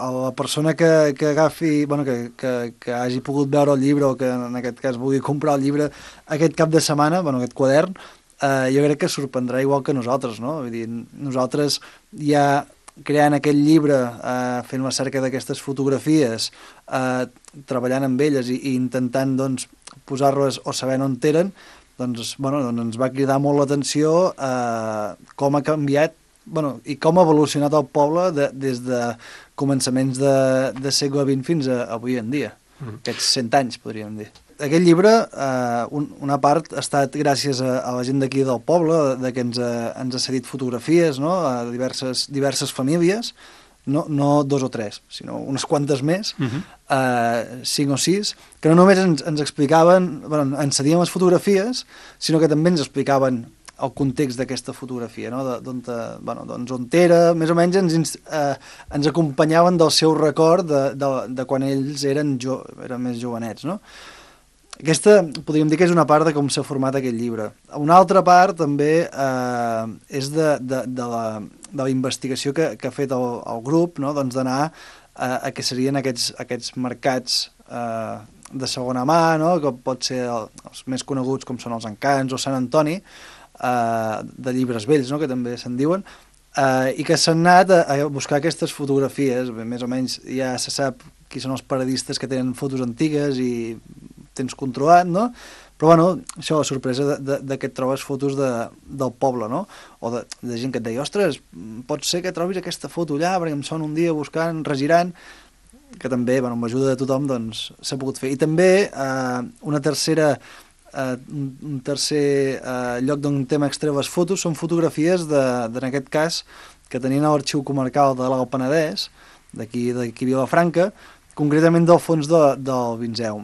a la persona que agafi, bueno, que hagi pogut veure el llibre o que en aquest cas vulgui comprar el llibre aquest cap de setmana, bueno, aquest quadern, jo crec que sorprendrà igual que nosaltres, no? Vull dir, nosaltres ja creant aquest llibre, fent la cerca d'aquestes fotografies, treballant amb elles i intentant doncs, posar-les o sabent on eren, doncs, bueno, doncs ens va cridar molt l'atenció com ha canviat i com ha evolucionat el poble des de començaments de segle XX fins a avui en dia. Aquests 100 anys, podríem dir. Aquest llibre, una part ha estat gràcies a la gent d'aquí del poble, que ens ha cedit fotografies, no? A diverses famílies, no 2 o 3, sinó unes quantes més, 5 o 6, que no només ens explicaven, ens cedien les fotografies, sinó que també ens explicaven el context d'aquesta fotografia, no? Doncs on era, més o menys ens acompanyaven del seu record de quan ells eren més jovenets, no? Aquesta, podríem dir que és una part de com s'ha format aquest llibre. Una altra part també és de la investigació que ha fet el grup, no? Doncs d'anar a què serien aquests mercats de segona mà, no? Que pot ser els més coneguts com són els Encants o Sant Antoni, de llibres vells, no? Que també se'n diuen, i que s'han anat a buscar aquestes fotografies. Més o menys ja se sap qui són els paradistes que tenen fotos antigues i tens controlat, no? Però, bueno, això, la sorpresa de que et trobes fotos del poble, no? O de gent que et deia, ostres, pot ser que trobis aquesta foto allà, perquè em son un dia buscant, regirant, que també, amb l'ajuda de tothom, doncs, s'ha pogut fer. I també un tercer lloc d'on hem extret les fotos són fotografies en aquest cas, que tenien a l'Arxiu Comarcal de l'Alt Penedès, d'aquí Vilafranca, concretament del fons del Vinzeu.